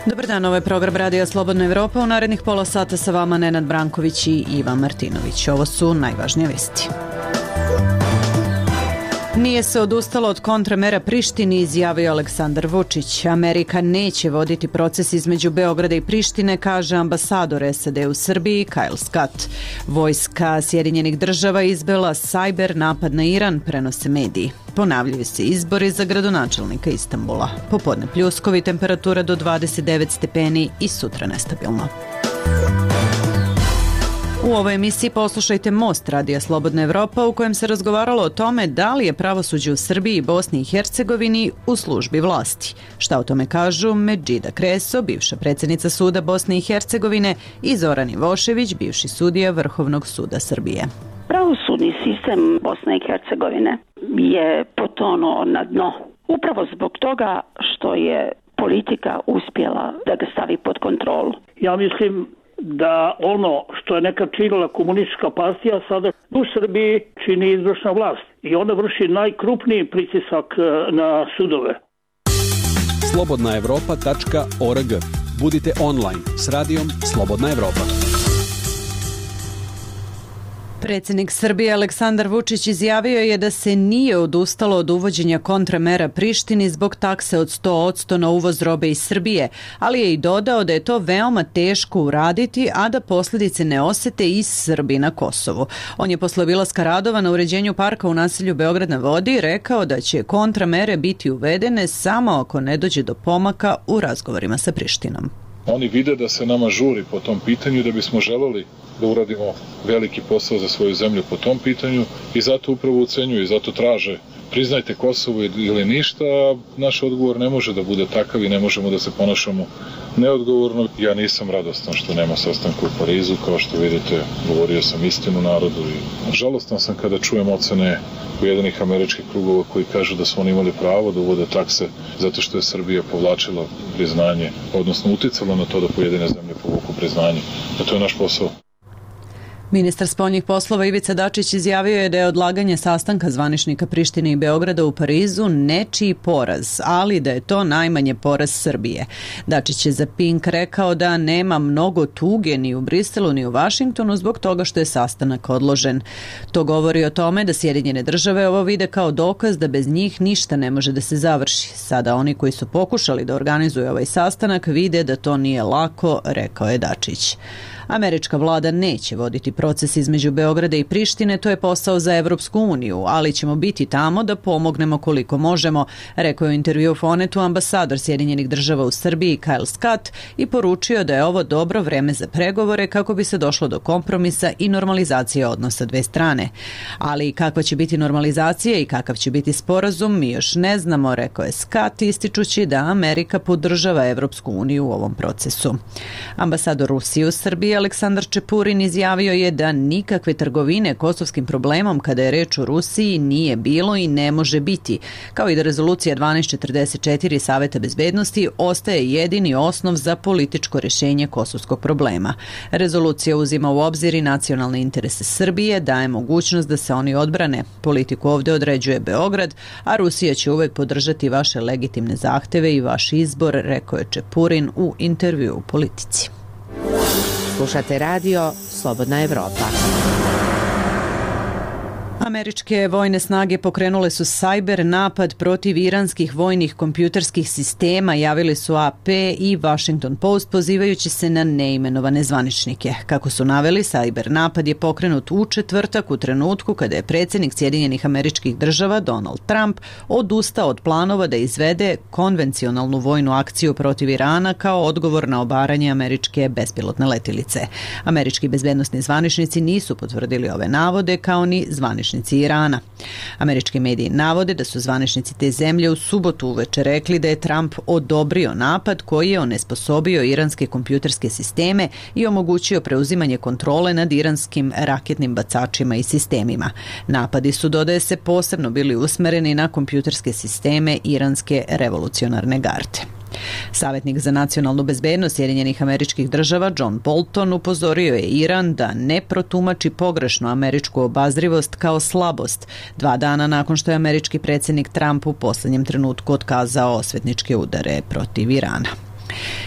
Dobar dan, ovo je program Radija Slobodna Evropa. U narednih pola sata sa vama Nenad Branković i Ivan Martinović. Ovo su najvažnije vesti. Nije se odustalo od kontramera Prištini, izjavio Aleksandar Vučić. Amerika neće voditi proces između Beograda i Prištine, kaže ambasador SAD u Srbiji Kyle Scott. Vojska Sjedinjenih država izvela sajber napad na Iran, prenose mediji. Ponavljaju se izbori za gradonačelnika Istanbula. Popodne pljuskovi, temperatura do 29 stepeni i sutra nestabilno. U ovoj emisiji poslušajte Most Radija Slobodna Evropa, u kojem se razgovaralo o tome da li je pravosuđe u Srbiji i Bosni i Hercegovini u službi vlasti. Šta o tome kažu Medžida Kreso, bivša predsjednica suda Bosne i Hercegovine, i Zoran Ivošević, bivši sudija Vrhovnog suda Srbije. Pravosudni sistem Bosne i Hercegovine je potonuo na dno. Upravo zbog toga što je politika uspjela da ga stavi pod kontrolu. Ja mislim da ono što je nekad činila komunistička partija sada u Srbiji čini izvršna vlast i ona vrši najkrupniji pritisak na sudove. slobodnaevropa.org. Budite online s radijom Slobodna Evropa. Predsjednik Srbije Aleksandar Vučić izjavio je da se nije odustalo od uvođenja kontramera Prištini zbog takse od 100% na uvoz robe iz Srbije, ali je i dodao da je to veoma teško uraditi, a da posljedice ne osete i Srbi na Kosovu. On je posle obilaska radova na uređenju parka u naselju Beograd na vodi rekao da će kontramere biti uvedene samo ako ne dođe do pomaka u razgovorima sa Prištinom. Oni vide da se nama žuri po tom pitanju, da bismo želeli da uradimo veliki posao za svoju zemlju po tom pitanju i zato upravo ucenjuju i zato traže priznajte Kosovo ili ništa, a naš odgovor ne može da bude takav i ne možemo da se ponašamo neodgovorno. Ja nisam radostan što nema sastanka u Parizu, kao što vidite, govorio sam istinu narodu i žalostan sam kada čujem ocene Ujedinjenih američkih krugova koji kažu da su oni imali pravo da uvode takse zato što je Srbija povlačila priznanje, odnosno uticala na to da pojedine zemlje povuku priznanje. A to je naš posao. Ministar spoljnih poslova Ivica Dačić izjavio je da je odlaganje sastanka zvaničnika Prištine i Beograda u Parizu nečiji poraz, ali da je to najmanje poraz Srbije. Dačić je za Pink rekao da nema mnogo tuge ni u Briselu ni u Vašingtonu zbog toga što je sastanak odložen. To govori o tome da Sjedinjene države ovo vide kao dokaz da bez njih ništa ne može da se završi. Sada oni koji su pokušali da organizuju ovaj sastanak vide da to nije lako, rekao je Dačić. Američka vlada neće voditi proces između Beograda i Prištine, to je posao za Evropsku uniju, ali ćemo biti tamo da pomognemo koliko možemo, rekao je u intervju Fonetu ambasador Sjedinjenih država u Srbiji Kyle Scott i poručio da je ovo dobro vreme za pregovore kako bi se došlo do kompromisa i normalizacije odnosa dve strane. Ali kakva će biti normalizacija i kakav će biti sporazum mi još ne znamo, rekao je Scott, ističući da Amerika podržava Evropsku uniju u ovom procesu. Ambasador Rusije u Srbiji Aleksandar Čepurin izjavio je da nikakve trgovine kosovskim problemom kada je reč o Rusiji nije bilo i ne može biti, kao i da rezolucija 1244 Saveta bezbednosti ostaje jedini osnov za političko rješenje kosovskog problema. Rezolucija uzima u obzir i nacionalne interese Srbije, daje mogućnost da se oni odbrane. Politiku ovdje određuje Beograd, a Rusija će uvek podržati vaše legitimne zahteve i vaš izbor, rekao je Čepurin u intervju u Politici. Slušate radio Slobodna Evropa. Američke vojne snage pokrenule su sajber napad protiv iranskih vojnih kompjuterskih sistema, javili su AP i Washington Post pozivajući se na neimenovane zvaničnike. Kako su naveli, sajber napad je pokrenut u četvrtak u trenutku kada je predsjednik Sjedinjenih Američkih Država Donald Trump odustao od planova da izvede konvencionalnu vojnu akciju protiv Irana kao odgovor na obaranje američke bespilotne letjelice. Američki bezbednosni zvaničnici nisu potvrdili ove navode kao ni zvaničnici Irana. Američki mediji navode da su zvaničnici te zemlje u subotu uveče rekli da je Trump odobrio napad koji je onesposobio iranske kompjuterske sisteme i omogućio preuzimanje kontrole nad iranskim raketnim bacačima i sistemima. Napadi su, dodaje se, posebno bili usmereni na kompjuterske sisteme iranske revolucionarne garde. Savjetnik za nacionalnu bezbednost Sjedinjenih Američkih Država John Bolton upozorio je Iran da ne protumači pogrešno američku obazrivost kao slabost 2 dana nakon što je američki predsjednik Trump u posljednjem trenutku otkazao osvetničke udare protiv Irana.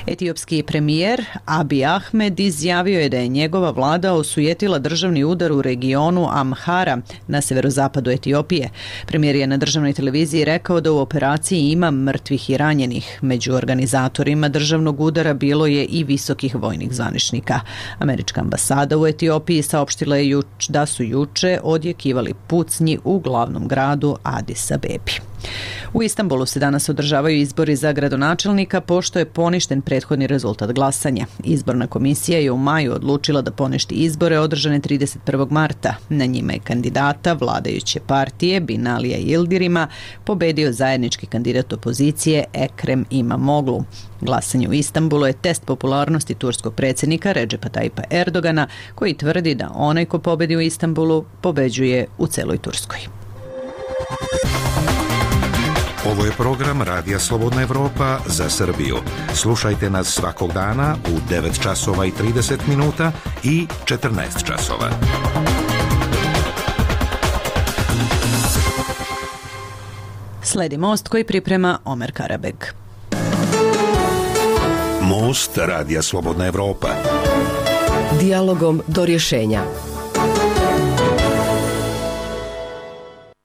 Etiopski premijer Abiy Ahmed izjavio je da je njegova vlada osujetila državni udar u regionu Amhara na severozapadu Etiopije. Premijer je na državnoj televiziji rekao da u operaciji ima mrtvih i ranjenih. Među organizatorima državnog udara bilo je i visokih vojnih zvaničnika. Američka ambasada u Etiopiji saopštila je da su juče odjekivali pucnji u glavnom gradu Adis Abebi. U Istanbulu se danas održavaju izbori za gradonačelnika pošto je poništen prethodni rezultat glasanja. Izborna komisija je u maju odlučila da poništi izbore održane 31. marta. Na njima je kandidata vladajuće partije Binalija Yildirima pobedio zajednički kandidat opozicije Ekrem İmamoğlu. Glasanje u Istanbulu je test popularnosti turskog predsjednika Recepa Tayyipa Erdogana, koji tvrdi da onaj ko pobedi u Istanbulu pobeđuje u celoj Turskoj. Ovo je program Radija Slobodna Evropa za Srbiju. Slušajte nas svakog dana u 9 časova i 30 minuta i 14 časova. Sledi Most koji priprema Omer Karabeg. Most Radija Slobodna Evropa. Dijalogom do rješenja.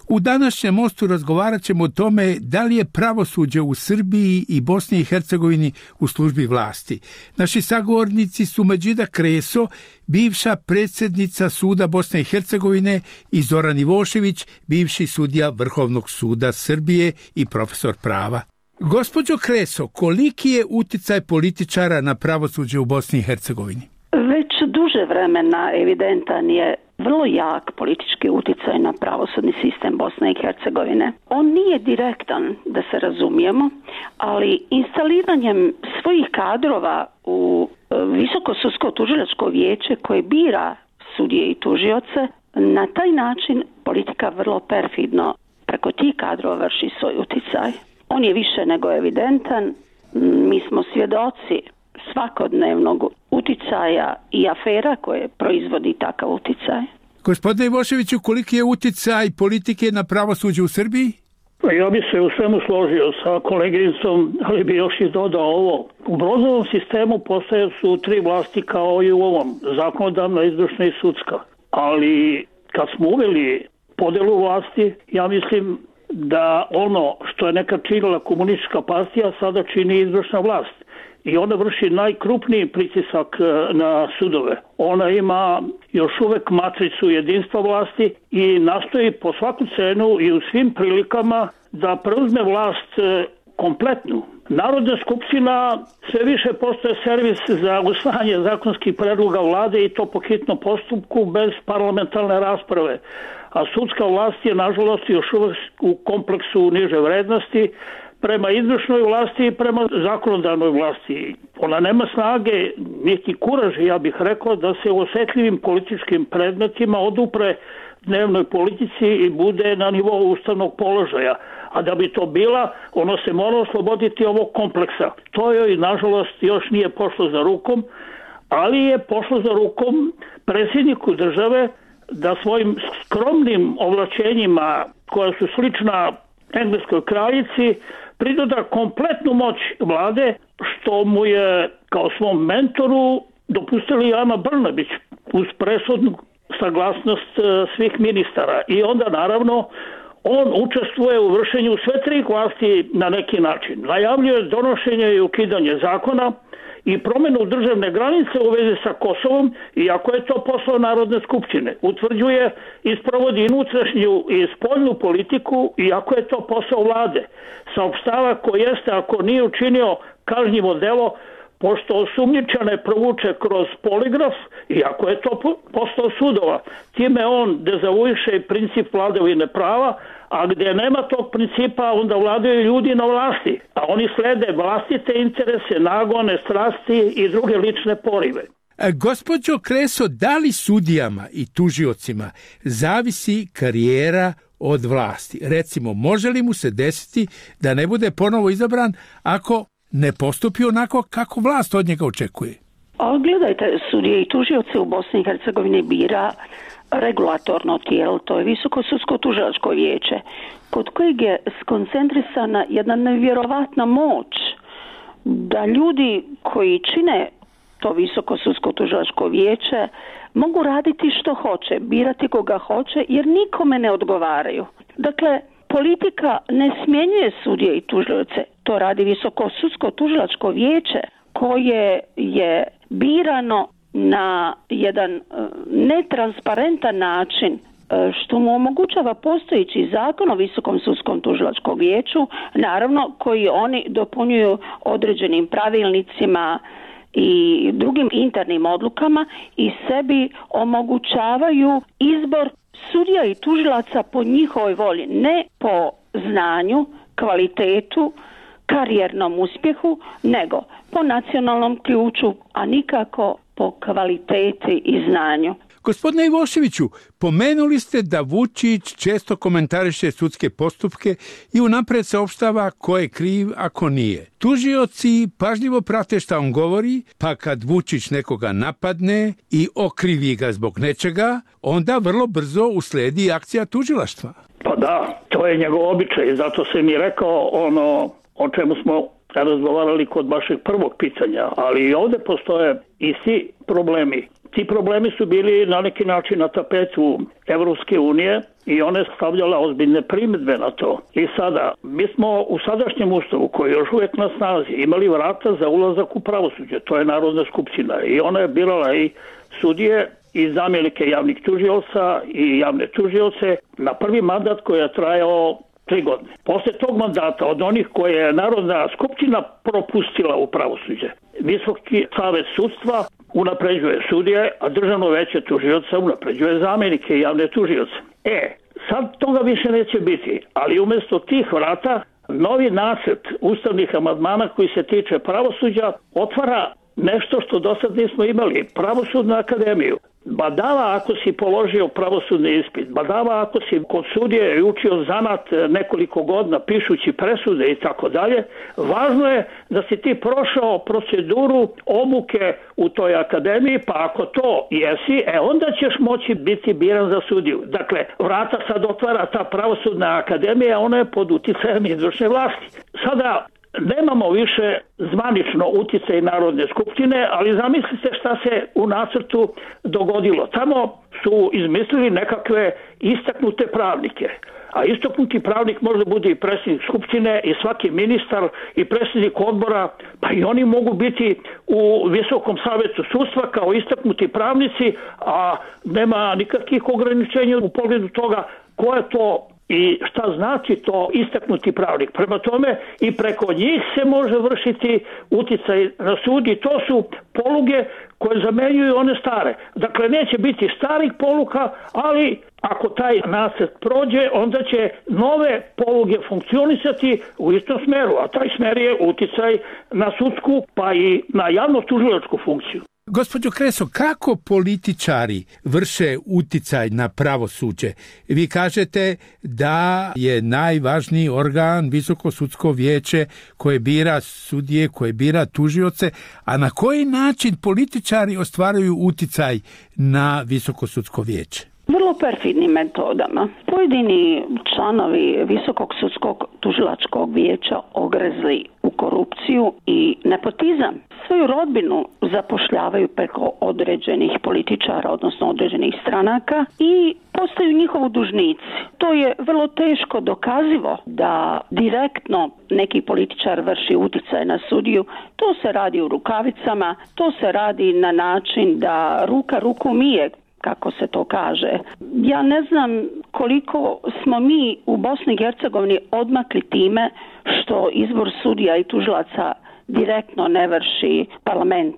U današnjem Mostu razgovarat ćemo o tome da li je pravosuđe u Srbiji i Bosni i Hercegovini u službi vlasti. Naši sagovornici su Međida Kreso, bivša predsjednica suda Bosne i Hercegovine, i Zoran Ivošević, bivši sudija Vrhovnog suda Srbije i profesor prava. Gospođo Kreso, koliki je uticaj političara na pravosuđe u Bosni i Hercegovini? Već duže vremena evidentan je vrlo jak politički utjecaj na pravosudni sistem Bosne i Hercegovine. On nije direktan, da se razumijemo, ali instaliranjem svojih kadrova u Visoko sudsko tužilačko vijeće koje bira sudije i tužioce, na taj način politika vrlo perfidno preko tih kadrova vrši svoj utjecaj. On je više nego evidentan. Mi smo svjedoci svakodnevnog utjecaja i afera koje proizvodi takav utjecaj. Gospodine Ivoševiću, koliki je utjecaj politike na pravosuđe u Srbiji? Ja bi se u svemu složio sa kolegicom, ali bi još i dodao ovo. U Brozovom sistemu postoje su 3 vlasti kao i u ovom, zakonodavna, izvršna i sudska. Ali kad smo uveli podelu vlasti, ja mislim da ono što je nekad činila komunistička partija sada čini izvršna vlast. I ona vrši najkrupniji pritisak na sudove. Ona ima još uvek matricu jedinstva vlasti i nastoji po svaku cenu i u svim prilikama da preuzme vlast kompletnu. Narodna skupština sve više postaje servis za usvajanje zakonskih predloga vlade i to po hitnom postupku bez parlamentarne rasprave. A sudska vlast je nažalost još uvek u kompleksu niže vrednosti prema izvršnoj vlasti i prema zakonodavnoj vlasti. Ona nema snage, niti kuraž, ja bih rekao, da se u osjetljivim političkim predmetima odupre dnevnoj politici i bude na nivou ustavnog položaja. A da bi to bila, ono se mora osloboditi ovog kompleksa. To joj, nažalost, još nije pošlo za rukom, ali je pošlo za rukom predsjedniku države da svojim skromnim ovlačenjima, koja su slična engleskoj kraljici, pridoda kompletnu moć vlade, što mu je kao svom mentoru dopustili Ana Brnabić uz presudnu saglasnost svih ministara. I onda naravno on učestvuje u vršenju sve 3 vlasti na neki način. Najavljuje donošenje i ukidanje zakona i promjenu državne granice u vezi sa Kosovom, iako je to posao Narodne skupštine. Utvrđuje i sprovodi unutrašnju i spoljnu politiku, iako je to posao vlade. Saopštava ko jeste, ako nije učinio kažnjivo delo, pošto osumnjičane provuče kroz poligraf, iako je to posao sudova. Time on dezavuiše princip vladavine prava, a gdje nema tog principa, onda vladaju ljudi na vlasti, a oni slede vlastite interese, nagone, strasti i druge lične porive. Gospođo Kreso, da li sudijama i tužiocima zavisi karijera od vlasti? Recimo, može li mu se desiti da ne bude ponovo izabran ako ne postupi onako kako vlast od njega očekuje. Ali gledajte, sudije i tužioce u Bosni i Hercegovini bira regulatorno tijelo, to je Visoko sudsko tužilačko vijeće, kod kojeg je skoncentrisana jedna nevjerovatna moć da ljudi koji čine to Visoko sudsko tužilačko vijeće mogu raditi što hoće, birati koga hoće, jer nikome ne odgovaraju. Dakle, politika ne smjenjuje sudije i tužioce, to radi Visoko sudsko tužilačko vijeće koje je birano na jedan netransparentan način, što mu omogućava postojeći zakon o Visokom sudskom tužilačkom vijeću, naravno koji oni dopunjuju određenim pravilnicima i drugim internim odlukama i sebi omogućavaju izbor sudija i tužilaca po njihovoj volji, ne po znanju, kvalitetu, karijernom uspjehu, nego po nacionalnom ključu, a nikako po kvaliteti i znanju. Gospodine Ivoševiću, pomenuli ste da Vučić često komentariše sudske postupke i unapred saopštava ko je kriv, a ko nije. Tužioci pažljivo prate šta on govori, pa kad Vučić nekoga napadne i okrivi ga zbog nečega, onda vrlo brzo usledi akcija tužilaštva. Pa da, to je njegov običaj, zato sam i rekao ono o čemu smo razgovarali kod vašeg prvog pitanja, ali i ovdje postoje isti problemi. Ti problemi su bili na neki način na tapetu Evropske unije i one je stavljala ozbiljne primjedbe na to. I sada, mi smo u sadašnjem ustavu, koji je još uvijek na snazi, imali vrata za ulazak u pravosuđe, to je Narodna skupština i ona je birala i sudije i zamjenike javnih tužioca i javne tužioce na prvi mandat koji je trajao 3 godine. Posle tog mandata, od onih koje je Narodna skupština propustila u pravosuđe, Visoki savet sudstva unapređuje sudije, a Državno veće tužioca unapređuje zamjenike i javne tužioce. Sad toga više neće biti, ali umjesto tih vrata novi nacrt ustavnih amandmana koji se tiče pravosuđa otvara nešto što do sad nismo imali, Pravosudnu akademiju. Badava ako si položio pravosudni ispit, badava ako si kod sudije i učio zanat nekoliko godina pišući presude i tako dalje, važno je da si ti prošao proceduru obuke u toj akademiji, pa ako to jesi, onda ćeš moći biti biran za sudiju. Dakle, vrata sad otvara ta Pravosudna akademija, ona je pod uticajem izvršne vlasti. Sada nemamo više zvanično uticaj Narodne skupštine, ali zamislite šta se u nacrtu dogodilo. Tamo su izmislili nekakve istaknute pravnike. A istaknuti pravnik može bude i predsjednik skupštine i svaki ministar i predsjednik odbora, pa i oni mogu biti u Visokom savetu sudstva kao istaknuti pravnici, a nema nikakvih ograničenja u pogledu toga ko je to i šta znači to istaknuti pravnik. Prema tome i preko njih se može vršiti uticaj na sud i to su poluge koje zamenjuju one stare. Dakle, neće biti starih poluka, ali ako taj nacrt prođe, onda će nove poluge funkcionisati u istom smeru, a taj smer je uticaj na sudsku pa i na javno-tužilačku funkciju. Gospođo Kreso, kako političari vrše uticaj na pravosuđe? Vi kažete da je najvažniji organ Visoko sudsko vijeće koje bira sudije, koje bira tužioce, a na koji način političari ostvaruju uticaj na Visoko sudsko vijeće? Vrlo perfidnim metodama. Pojedini članovi Visokog sudskog tužilačkog vijeća ogrezli u korupciju i nepotizam. Svoju rodbinu zapošljavaju preko određenih političara, odnosno određenih stranaka i postaju njihovi dužnici. To je vrlo teško dokazivo da direktno neki političar vrši uticaj na sudiju. To se radi u rukavicama, to se radi na način da ruka ruku mije, kako se to kaže. Ja ne znam koliko smo mi u Bosni i Hercegovini odmakli time što izbor sudija i tužilaca direktno ne vrši parlament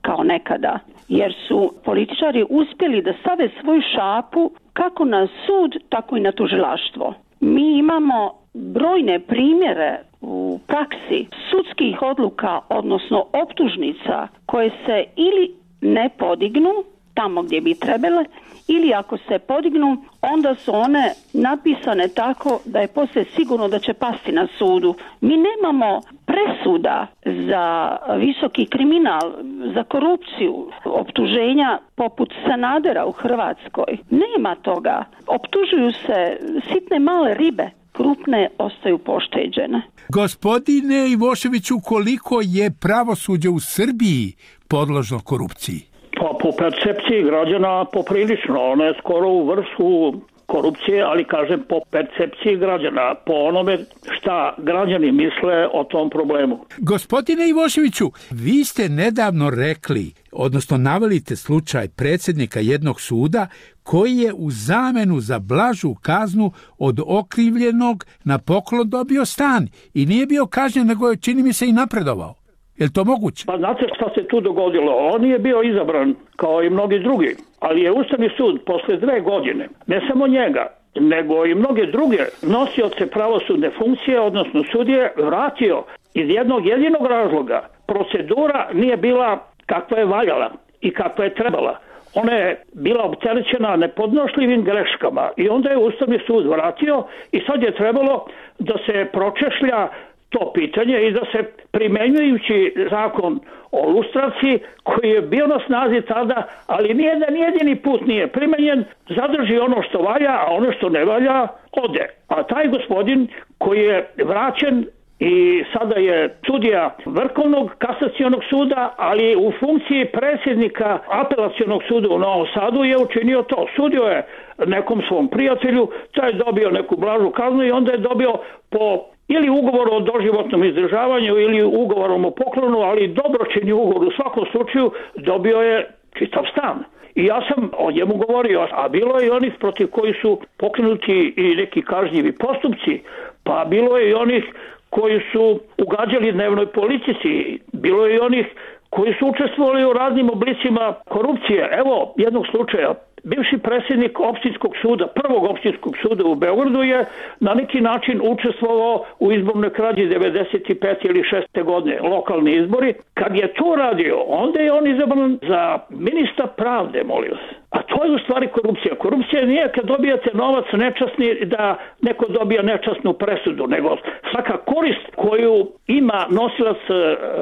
kao nekada, jer su političari uspjeli da stave svoju šapu kako na sud, tako i na tužilaštvo. Mi imamo brojne primjere u praksi sudskih odluka, odnosno optužnica koje se ili ne podignu tamo gdje bi trebale, ili ako se podignu, onda su one napisane tako da je poslije sigurno da će pasti na sudu. Mi nemamo presuda za visoki kriminal, za korupciju, optuženja poput Sanadera u Hrvatskoj. Nema toga. Optužuju se sitne male ribe, krupne ostaju pošteđene. Gospodine Ivoševiću, koliko je pravosuđe u Srbiji podložno korupciji? Pa po percepciji građana poprilično. Ona je skoro u vrhu korupcije, ali kažem po percepciji građana, po onome šta građani misle o tom problemu. Gospodine Ivoševiću, vi ste nedavno rekli, odnosno navelite slučaj predsjednika jednog suda koji je u zamenu za blažu kaznu od okrivljenog na poklon dobio stan i nije bio kažnjen, nego je, čini mi se, i napredovao. Je li to moguće? Pa znate šta se tu dogodilo? On je bio izabran kao i mnogi drugi, ali je Ustavni sud posle 2 godine, ne samo njega, nego i mnoge druge nosioce pravosudne funkcije, odnosno sudije, vratio iz jednog jedinog razloga. Procedura nije bila kakva je valjala i kakva je trebala. Ona je bila opterećena nepodnošljivim greškama i onda je Ustavni sud vratio i sad je trebalo da se pročešlja to pitanje i da se primenjujući zakon o lustraciji koji je bio na snazi tada, ali nijedan jedini put nije primenjen, zadrži ono što valja, a ono što ne valja ode. A taj gospodin koji je vraćen i sada je sudija Vrhovnog kasacionog suda, ali u funkciji predsjednika Apelacionog suda u Novom Sadu je učinio to. Sudio je nekom svom prijatelju, taj je dobio neku blažu kaznu i onda je dobio po ili ugovor o doživotnom izdržavanju ili ugovorom o poklonu, ali dobročinni ugovor u svakom slučaju dobio je čitav stan. I ja sam o njemu govorio, a bilo je i onih protiv koji su pokrenuti i neki kažnjivi postupci, pa bilo je i onih koji su ugađali dnevnoj politici, bilo je i onih koji su učestvovali u raznim oblicima korupcije. Evo jednog slučaja. Bivši predsjednik opštinskog suda, prvog opštinskog suda u Beogradu je na neki način učestvovao u izbornoj krađi 95. ili 6. godine, lokalni izbori. Kad je to radio, onda je on izabran za ministra pravde, molim vas. A to je u stvari korupcija. Korupcija nije kad dobijate novac nečasni da neko dobija nečasnu presudu, nego svaka korist koju ima nosilac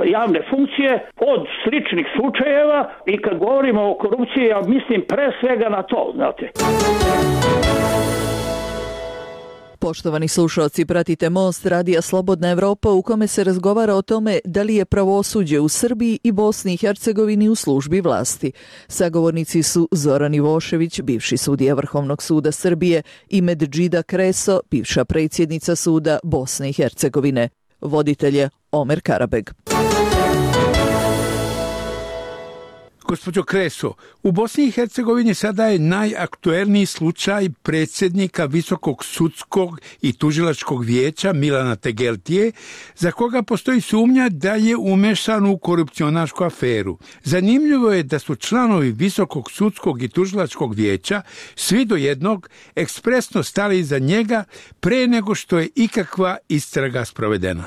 javne funkcije od sličnih slučajeva i kad govorimo o korupciji, ja mislim pre svega na to, znate. Poštovani slušalci, pratite Most radija Slobodna Evropa u kome se razgovara o tome da li je pravosuđe u Srbiji i Bosni i Hercegovini u službi vlasti. Sagovornici su Zoran Ivošević, bivši sudija Vrhovnog suda Srbije, i Medžida Kreso, bivša predsjednica suda Bosne i Hercegovine. Voditelj je Omer Karabeg. Gospođo Kreso, u Bosni i Hercegovini sada je najaktuelniji slučaj predsjednika Visokog sudskog i tužilačkog vijeća Milana Tegeltije, za koga postoji sumnja da je umešan u korupcionašku aferu. Zanimljivo je da su članovi Visokog sudskog i tužilačkog vijeća, svi do jednog, ekspresno stali iza njega pre nego što je ikakva istraga sprovedena.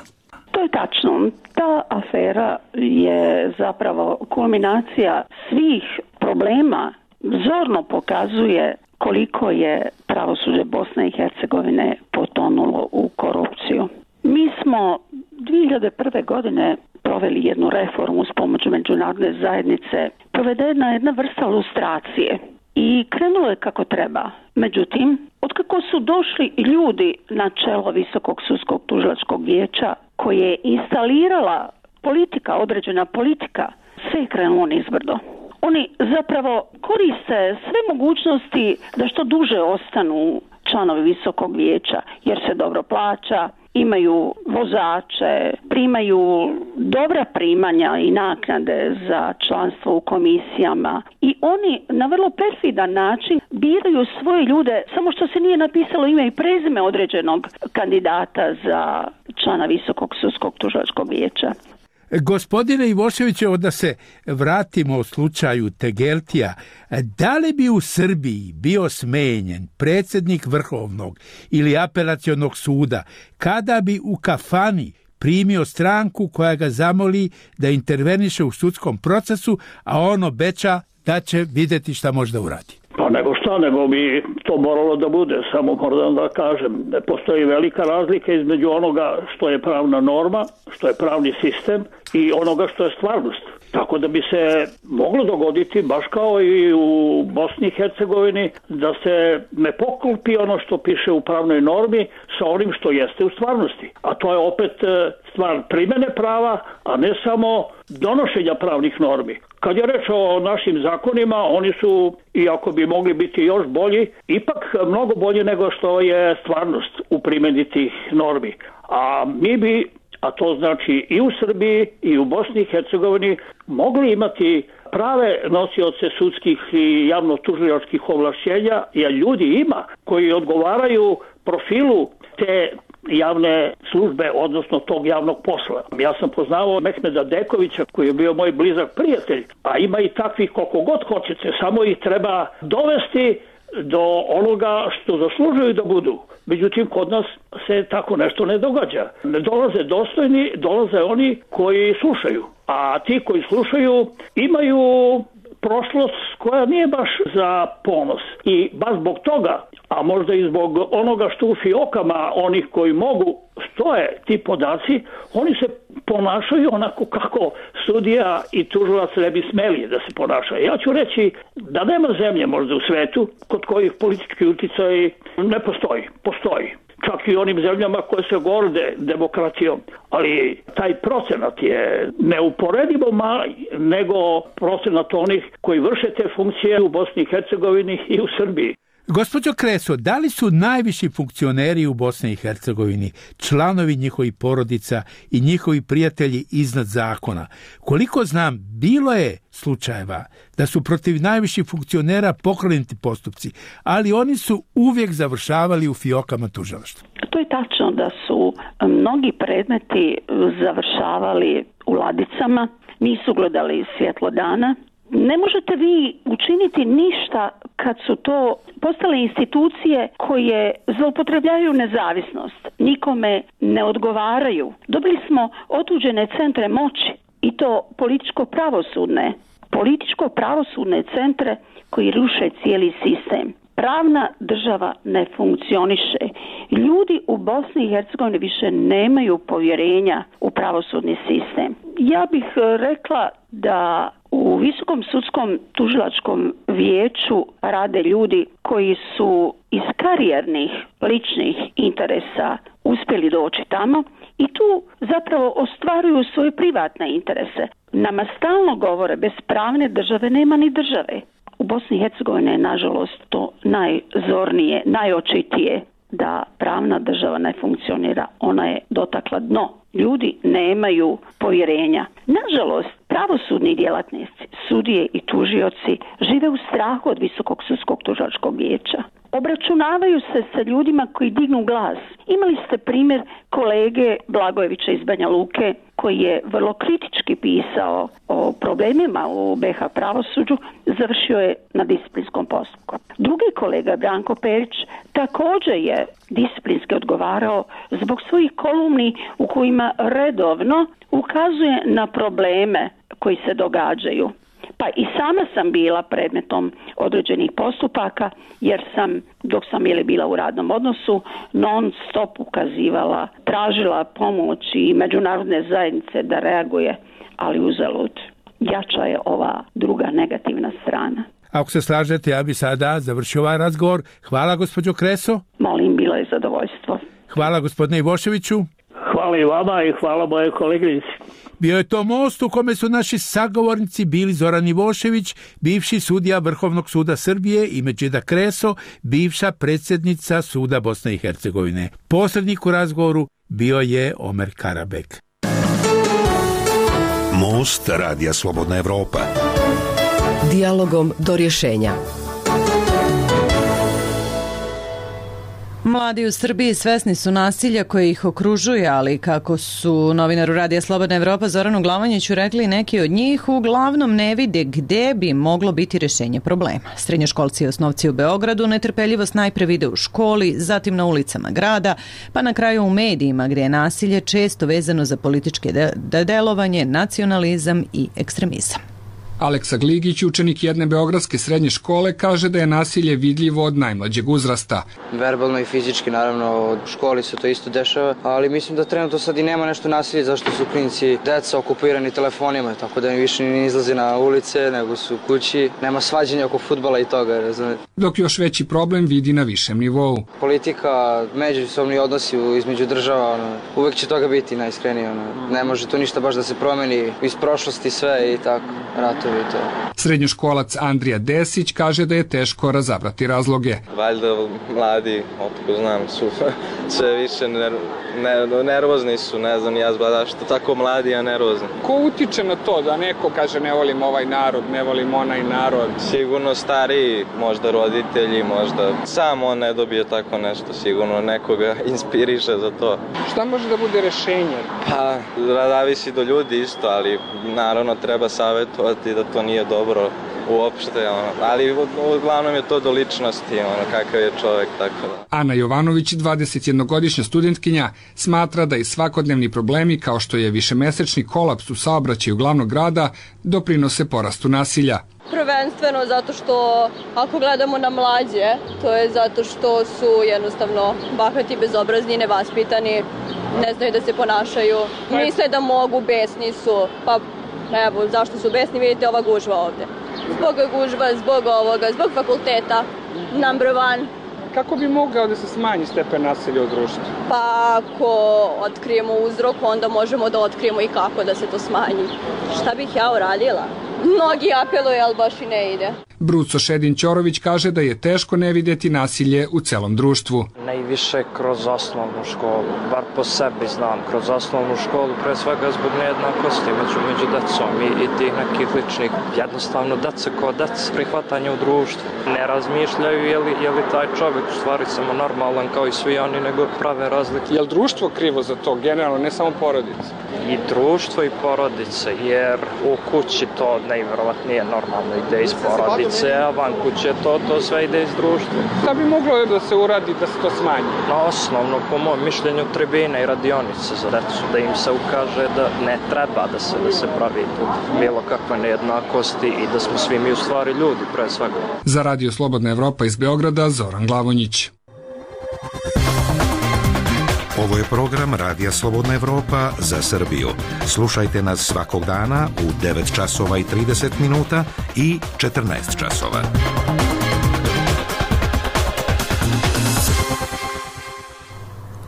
To je tačno. Ta afera je zapravo kulminacija svih problema, zorno pokazuje koliko je pravosuđe Bosne i Hercegovine potonulo u korupciju. Mi smo 2001. godine proveli jednu reformu s pomoću međunarodne zajednice. Provedena je jedna vrsta lustracije i krenulo je kako treba. Međutim, otkako su došli ljudi na čelo Visokog sudskog tužilačkog vijeća, koje je instalirala politika, određena politika, sve je krenulo nizbrdo. Oni zapravo koriste sve mogućnosti da što duže ostanu članovi Visokog vijeća, jer se dobro plaća, imaju vozače, primaju dobra primanja i naknade za članstvo u komisijama i oni na vrlo perfidan način biraju svoje ljude, samo što se nije napisalo ime i prezime određenog kandidata za člana Visokog sudskog tužilačkog vijeća. Gospodine Ivoševiću, da se vratimo u slučaju Tegeltija, da li bi u Srbiji bio smenjen predsjednik Vrhovnog ili Apelacionog suda kada bi u kafani primio stranku koja ga zamoli da interveniše u sudskom procesu, a on obeća da će vidjeti šta može da uradi? Pa Pa nego šta, nego bi to moralo da bude, samo moram da kažem. Postoji velika razlika između onoga što je pravna norma, što je pravni sistem i onoga što je stvarnost. Tako da bi se moglo dogoditi, baš kao i u Bosni i Hercegovini, da se ne poklopi ono što piše u pravnoj normi sa onim što jeste u stvarnosti. A to je opet stvar primene prava, a ne samo donošenja pravnih normi. Kad je reč o našim zakonima, oni su, iako bi mogli biti još bolji, ipak mnogo bolji nego što je stvarnost u primjeni tih normi. A mi bi, a to znači i u Srbiji i u Bosni i Hercegovini, mogli imati prave nosioce sudskih i javno-tužilačkih ovlašćenja, jer ljudi ima koji odgovaraju profilu te javne službe, odnosno tog javnog posla. Ja sam poznavao Mehmeda Dekovića, koji je bio moj blizak prijatelj, a ima i takvih koliko god hoćete, samo ih treba dovesti do onoga što zaslužuju da budu. Međutim, kod nas se tako nešto ne događa. Ne dolaze dostojni, dolaze oni koji slušaju. A ti koji slušaju imaju prošlost koja nije baš za ponos. I baš zbog toga, a možda i zbog onoga što u fiokama onih koji mogu stoje ti podaci, oni se ponašaju onako kako sudija i tužilac ne bi smeli da se ponašaju. Ja ću reći da nema zemlje možda u svetu kod kojih politički uticaj ne postoji. Postoji. Čak i onim zemljama koje se gorde demokratijom. Ali taj procenat je neuporedivo mali nego procenat onih koji vrše te funkcije u Bosni i Hercegovini i u Srbiji. Gospođo Kreso, da li su najviši funkcioneri u Bosni i Hercegovini, članovi njihovih porodica i njihovi prijatelji iznad zakona? Koliko znam, bilo je slučajeva da su protiv najviših funkcionera pokrenuti postupci, ali oni su uvijek završavali u fiokama tužilaštva. To je tačno da su mnogi predmeti završavali u ladicama, nisu gledali svjetlo dana. Ne možete vi učiniti ništa kad su to postale institucije koje zloupotrebljavaju nezavisnost, nikome ne odgovaraju. Dobili smo otuđene centre moći i to političko-pravosudne centre koji ruše cijeli sistem. Pravna država ne funkcioniše. Ljudi u Bosni i Hercegovini više nemaju povjerenja u pravosudni sistem. Ja bih rekla da u Visokom sudskom tužilačkom vijeću rade ljudi koji su iz karijernih ličnih interesa uspjeli doći tamo i tu zapravo ostvaruju svoje privatne interese. Nama stalno govore, bez pravne države nema ni države. U Bosni i Hercegovini je nažalost to najzornije, najočitije da pravna država ne funkcionira. Ona je dotakla dno. Ljudi nemaju povjerenja. Nažalost, pravosudni djelatnici, sudije i tužioci žive u strahu od Visokog sudskog tužilačkog vijeća. Obračunavaju se sa ljudima koji dignu glas. Imali ste primjer kolege Blagojevića iz Banja Luke koji je vrlo kritički pisao o problemima u BiH pravosuđu, završio je na disciplinskom postupku. Drugi kolega Branko Perić također je disciplinski odgovarao zbog svojih kolumni u kojima redovno ukazuje na probleme koji se događaju. Pa i sama sam bila predmetom određenih postupaka jer sam, dok sam bila u radnom odnosu, non stop ukazivala, tražila pomoć i međunarodne zajednice da reaguje, ali uzalud. Jača je ova druga negativna strana. Ako se slažete, ja bi sada završio ovaj razgovor. Hvala, gospođo Kreso. Molim, bilo je zadovoljstvo. Hvala, gospodine Ivoševiću. Hvala i vama i hvala moje koleginici. Bio je to most u kome su naši sagovornici bili Zoran Ivošević, bivši sudija Vrhovnog suda Srbije, i Medžida Kreso, bivša predsjednica suda Bosne i Hercegovine. Posrednik u razgovoru bio je Omer Karabek. Most Radija Slobodna Evropa. Dijalogom do rješenja. Mladi u Srbiji svesni su nasilja koje ih okružuje, ali kako su novinaru Radija Slobodna Evropa Zoranu Glavanjiću rekli, neki od njih uglavnom ne vide gde bi moglo biti rješenje problema. Srednjoškolci i osnovci u Beogradu netrpeljivost najpre vide u školi, zatim na ulicama grada, pa na kraju u medijima gdje je nasilje često vezano za političke delovanje, nacionalizam i ekstremizam. Aleksa Gligić, učenik jedne beogradske srednje škole, kaže da je nasilje vidljivo od najmlađeg uzrasta. Verbalno i fizički, naravno, u školi se to isto dešava, ali mislim da trenutno sad i nema nešto nasilje, zašto su klinci, deca okupirani telefonima, tako da mi više ne izlaze na ulice, nego su u kući. Nema svađanja oko fudbala i toga, razumete. Dok još veći problem vidi na višem nivou. Politika, međusobni odnosi između država, uvek će toga biti najiskrenije. Ne može to ništa baš da se promeni iz prošlosti sve i tako, ratovi i to. Srednjoškolac Andrija Desić kaže da je teško razabrati razloge. Valjda mladi, otko znam, su sve više nervozni su, ne znam ja zašto tako mladi, a nervozni. Ko utiče na to da neko kaže ne volim ovaj narod, ne volim onaj narod? Sigurno stariji, možda roditelji, možda sam on ne dobije tako nešto, sigurno nekoga inspiriše za to. Šta može da bude rešenje? Pa, zavisi do ljudi isto, ali naravno treba savjetovati da to nije dobro uopšte, ali uglavnom je to do ličnosti, kakav je čovjek, tako da. Ana Jovanović, 21-godišnja studentkinja, smatra da i svakodnevni problemi kao što je višemesečni kolaps u saobraćaju glavnog grada doprinose porastu nasilja. Prvenstveno zato što ako gledamo na mlađe, to je zato što su jednostavno bahati, bezobrazni, nevaspitani, ne znaju da se ponašaju, misle da mogu, besni su, pa evo zašto su besni, vidite ova gužva ovde. Zbog gužva, zbog ovoga, zbog fakulteta, number one. Kako bi mogao da se smanji stepen nasilja u društvu? Pa ako otkrijemo uzrok, onda možemo da otkrijemo i kako da se to smanji. Šta bih ja uradila? Mnogi apeluju, ali baš i ne ide. Bruco Šedin-Ćorović kaže da je teško ne vidjeti nasilje u celom društvu. Najviše kroz osnovnu školu, bar po sebi znam, kroz osnovnu školu, pre svega zbog nejednakosti među decom i tih nekih ličnih. Jednostavno, deca kao deca, prihvatanje u društvu. Ne razmišljaju je li taj čovjek u stvari samo normalan kao i svi oni, nego prave razlike. Je li društvo krivo za to, generalno, ne samo porodice? I društvo i porodice, jer u kući to najvjerovatnije normalno ide iz porodice, a van kuće to sve ide iz društva. Šta bi moglo da se uradi da se to smanji? Osnovno, po mojom mišljenju, tribine i radionice za decu, da im se ukaže da ne treba da se pravi bilo kakve nejednakosti i da smo svi mi u stvari ljudi, pre svega. Za Radio Slobodna Evropa iz Beograda, Zoran Glavonjić. Ovo je program Radija Slobodna Evropa za Srbiju. Slušajte nas svakog dana u 9 časova i 30 minuta i 14 časova.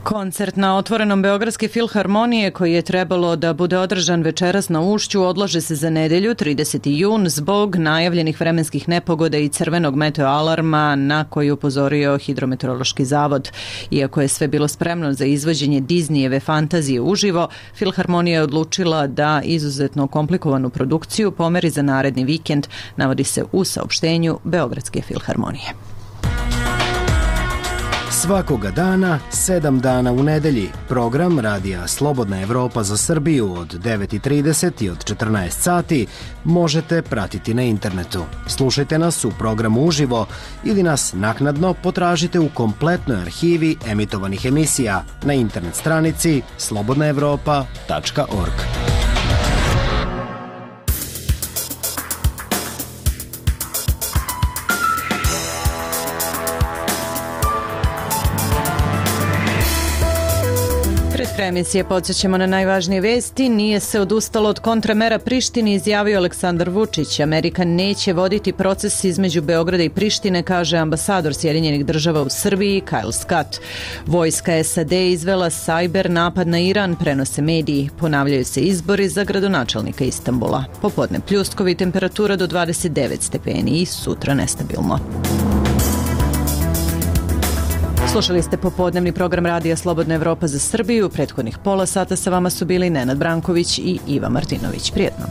Koncert na otvorenom Beogradske filharmonije koji je trebalo da bude održan večeras na Ušću odlaže se za nedelju 30. jun zbog najavljenih vremenskih nepogoda i crvenog meteoalarma na koji upozorio Hidrometeorološki zavod. Iako je sve bilo spremno za izvođenje Disneyjeve fantazije uživo, filharmonija je odlučila da izuzetno komplikovanu produkciju pomeri za naredni vikend, navodi se u saopštenju Beogradske filharmonije. Svakoga dana, 7 dana u nedelji, program Radija Slobodna Evropa za Srbiju od 9:30 i od 14 sati možete pratiti na internetu. Slušajte nas u programu uživo ili nas naknadno potražite u kompletnoj arhivi emitovanih emisija na internet stranici slobodnaevropa.org. Emisije podsjećamo na najvažnije vesti. Nije se odustalo od kontramera Prištini, izjavio Aleksandar Vučić. Amerika neće voditi proces između Beograda i Prištine, kaže ambasador Sjedinjenih država u Srbiji Kyle Scott. Vojska SAD izvela sajber napad na Iran, prenose mediji. Ponavljaju se izbori za gradonačelnika Istanbula. Popodne pljuskovi, temperatura do 29 stepeni i sutra nestabilno. Slušali ste popodnevni program Radija Slobodna Evropa za Srbiju. Prethodnih pola sata sa vama su bili Nenad Branković i Iva Martinović. Prijetno.